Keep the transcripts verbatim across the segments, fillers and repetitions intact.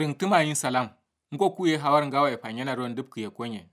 Rǝngtǝma yin salam. Ngo kuye hawar ngawaye fanyena don dǝpkǝ ye konyen.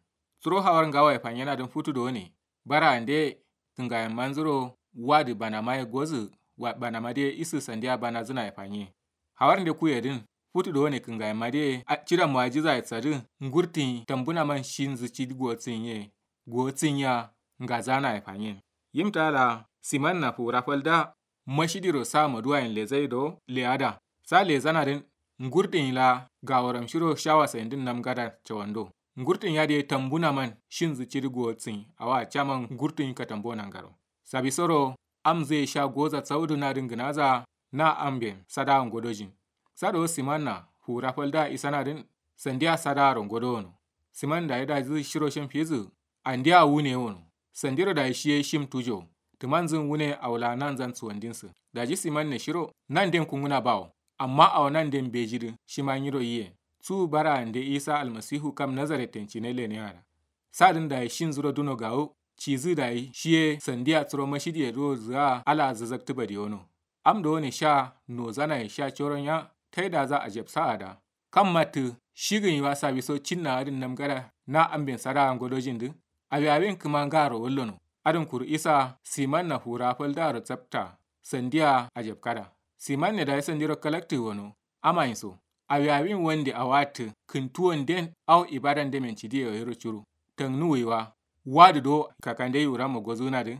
Suro hawar ngawaye fanyena dǝn futu done. Bara ande kǝngayen manzuro. Wadǝ banama ye gozǝ. Banama dǝ ye isǝ sandiya banazǝna ye fanye. Hawar nde kuye dǝn futu done kǝngayen ma dǝ ye. Cida muwajiza ye tsadǝ. Ngurtǝnyi tambunaman shinzǝ cidi gotǝnyi ye. Gotǝnyi ya. Ngazana ye fanyen. Yim tala simanna fuwura falda. Mashidiro sa maduwayen lezai do leyada. Sa lezana dǝn ngurtǝnyi la gaworam shiro shawa sayin dǝn namgada cawando. Ngurtǝnyi ya dǝ ye tambunaman shinzǝ cidi gotǝnyi awa caman ngurtǝnyi katambo nangaro. Sabisoro amzǝ ye sha goza sauduna dǝn gǝnaza. Na amben sada ngodojin. Sado simanna fuwura falda isana dǝn sandiya sadaro ngodowono. Siman dayi dazǝ shiro shin fizǝ. Andiya wune wono. Sandiro dayi shiye shim tujo. Tǝmanzǝn wune awula nanzan suwandinsǝ. Daji simanne shiro nanden kunguna bawo. Amma awo nanden bejidǝ shima nyiro yiyen. Su bara ande isa almasihu kam nazaretten cine lene ara. Sadǝn dayi shinzuro duno gawu. Cizǝ dayi shiye sandiya suro mashidiye duro zǝa ala zazaktǝ badiyono. Am done sha nozanaye sha coron ya. Taidaza ajabsa ada. Kam mattǝ shigǝnyi wa sawiso cinna adǝn namgada na amben sadawa ngodojin dǝ. Awi awin kǝma ngaro wallono. Adǝn kuru isa simanna fura faldaro tsapta. Sandiya ajabkada. Simanne dayi sandiro kalaktǝ wono. Amayin so. Awi awin wande awattǝ kǝntuwon den. Au ibadan demen cidiye wayiro curu. Tangnuwuyi wa. Wadǝ do kakande yuramma gozuna dǝ.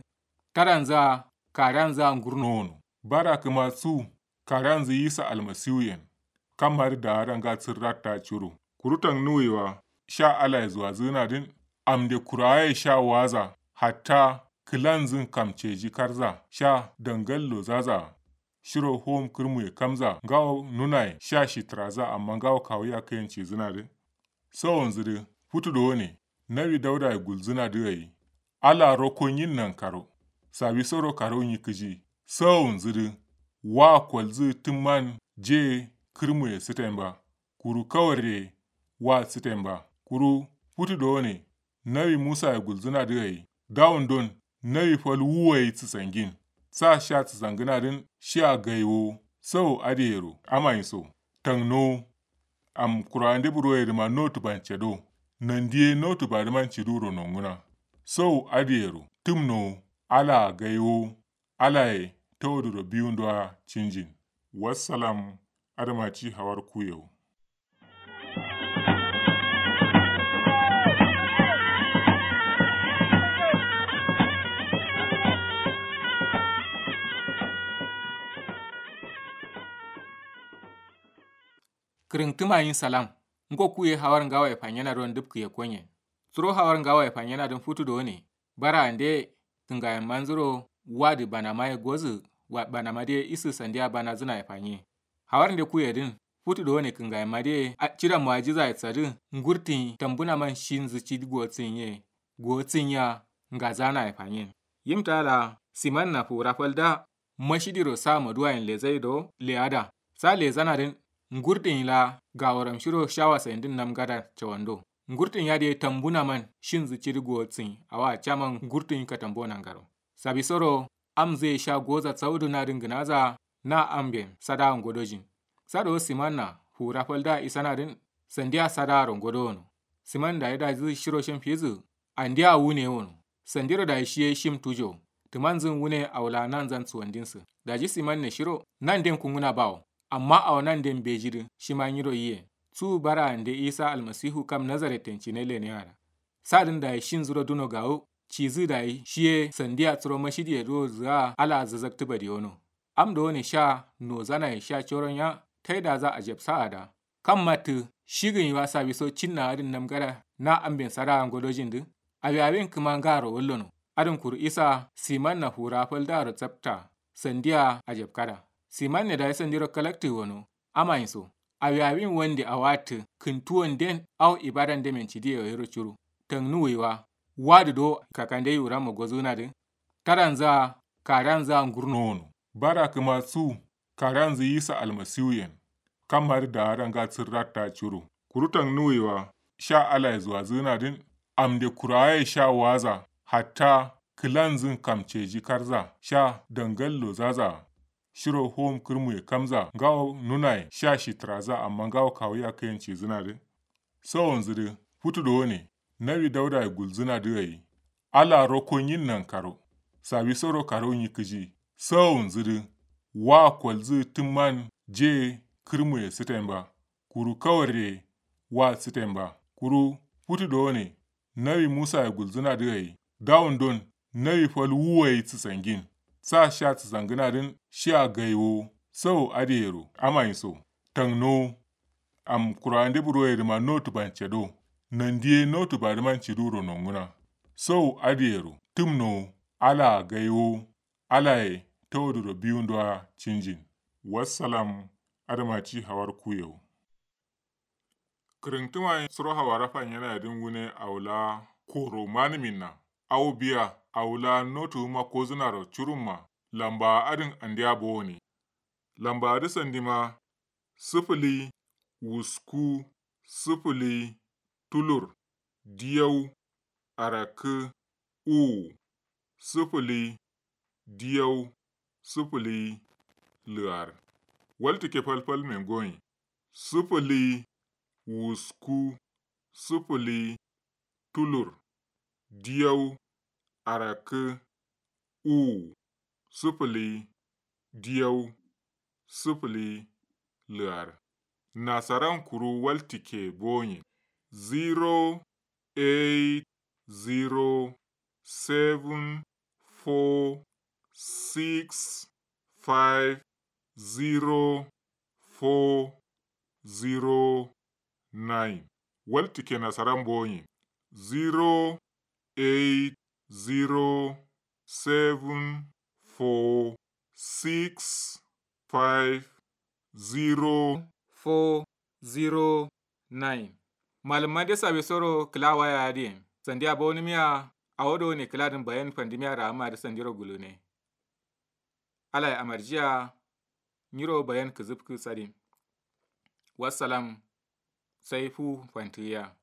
Taranza karanza ngurno wono. Bara kǝma su karanzǝ yisa almasiwuyen. Kammadǝ daara nga sǝrratta curo. Kuru tangnuwuyi wa sha alaye zuwazǝgǝna dǝn. Amde kurawaye sha waza hatta kǝlanzǝn kamceji karza sha dangal lozaza. Shiro hom kǝrmuye kamza ngawo nunaye sha shitǝraza amma ngawo kawu yakkayen cizǝna dǝ. Sawonzǝ dǝ futu dowone nawi daudaye gulzǝna dǝ gai. Ala rokko nyin nankaro. Sawisoro karo nyi kǝji. Sawonzǝ dǝ wa kolzǝ tǝmman je kǝrmuye sǝten ba. Kuru kawarre wa sǝten ba. Kuru futu dowone nawi musaye gulzǝna dǝ gai. Dawundon nawi fal wuwayi sǝsangin. Sa sha sǝsangǝna dǝn shiya gaiwo. Sawo adǝyero amayin so. Tangnowo. Am kura'ande buroye dǝma notu bancado. Nandiye notu badǝman ciduro nonguna. Sau adǝyero tǝmnowo. Alaa gaiwowo. Alaye tauduro biwundoa cinjin. Wassalam. Adǝma ci hawar kuyewo. Kǝrǝngtǝma yin salam. Ngo kuye hawar ngawaye fanyena don dǝpkǝ ye konyen. Suro hawar ngawaye fanyena dǝn futu done. Bara ande kǝngayen manzuro. Wadǝ banama ye gozǝ. Banama dǝ ye isǝ sandiya banazǝna ye fanye. Hawar nde kuye dǝn futu done kǝngayen ma dǝ ye. Cida muwajiza ye tsadǝ. Ngurtǝnyi tambunaman shinzǝ cidi gotǝnyi ye. Gotǝnyi ya. Ngazana ye fanyen. Yim tala simanna fuwura falda. Mashidiro sa maduwayen lezai do leyada. Sa lezana dǝn ngurtǝnyi la gaworam shiro shawa sayin dǝn namgada cawando. Ngurtǝnyi ya dǝ ye tambunaman shinzǝ cidi gotǝnyi awa caman ngurtǝnyi katambo nangaro. Sabisoro amzǝ ye sha goza sauduna dǝn gǝnaza. Na amben sadawa ngodojin. Sado simanna fuwura falda isana dǝn sandiya sadaro ngodowono. Siman dayi dazǝ shiro shin fizǝ. Andiya wune wono. Sandiro dayi shiye shim tujo. Tǝmanzǝn wune awula nanzan suwandinsǝ. Daji simanne shiro nanden kunguna bawo. Amma awo nanden bejidǝ shima nyiro yiyen. Su bara ande isa almasihu kam nazaretten cine lene ara. Sadǝn dayi shinzuro duno gawu. Cizǝ dayi shiye sandiya suro mashidiye duro zǝa ala zazaktǝ badiyono. Am dowone sha nozanaye sha coron ya. Taidaza ajabsa ada. Kam mattǝ shigǝnyi wa sawiso cinna adǝn namgada na amben sadawa ngodojin dǝ. Awi awin kǝma ngaro wallono. Adǝn kuru isa simanna fuwura faldaro tsapta. Sandiya ajabkada. Simanne dayi sandiro kalaktǝ wono. Amayin so. Awi awin wande awattǝ kǝntuwon den. Au ibadan demen cidiye wayiro curu. Tangnuwuyi wa. Wadǝ do kakande yuramma gozǝgǝna dǝ. Taranza karanza ngurno wono. Bara kǝma su karanzǝ yisa almasiwuyen. Kammadǝ daara nga sǝrratta curo. Kuru tangnuwuyi wa sha alaye zuwazǝgǝna dǝn. Amde kurawaye sha waza hatta kǝlanzǝn kamceji karza sha dangal lozaza. shiro hom kǝrmuye kamza ngawo nunaye sha shitǝraza amma ngawo kawu yakkayen cizǝnadǝ. Sawonzǝ dǝ futu dowone nawi daudaye gulzǝna dǝ gai. Ala rokko nyin nankaro sawisoro karo nyi kǝji. Sawonzǝ dǝ wa kolzǝ tǝmman je kǝrmuye sǝten ba kuru kawarre wa sǝten ba. Kuru futu dowone nawi musaye gulzǝna dǝ gai dawundon nawi fal wuwayi sǝsangin. Sa sha sǝsangǝna dǝn shiya gaiwo. Sawo adǝyero amayin so tangnowo. Am kura'ande buroye dǝma notu bancado nandiye notu badǝman ciduro nonguna. Sawo adǝyero tǝmnowo. Alaa gaiwo. Alaye tawoduro biwundowa cinjin. Wassalam. Adǝma ci hawar kuyewo. Kǝrǝntǝma suro hawara fanyena yadǝn wune awula koro manǝminna. Awo biya awula notu wuma kozǝnaro curumma. Lamba adǝn andiya bowone. Lamba adǝ sandima sǝfǝli wusku sǝfǝli tulur diyau arakkǝ uwu sǝfǝli diyau sǝfǝli lǝar. Waltǝkke falfal mengoyin sǝfǝli wusku sǝfǝli tulur diyau arakkǝ uwu sǝfǝli diyau sǝfǝli lǝar. Nasaran kuru waltǝkke boyin zero eight zero seven four six five zero four zero nine. Waltǝkke nasaran boyin zero eight zero seven four six five zero four zero nine. Malǝmma de sawisoro kǝla waya adǝyen sandiya bawonǝmiya. Awo dowone kǝladǝn bayan fandimiya ra'amma dǝ sandiro gulune. Alaye amarjiya. Nyiro bayan kǝzǝfkǝ sadin. Wassalam. Sai fu fantǝgiya.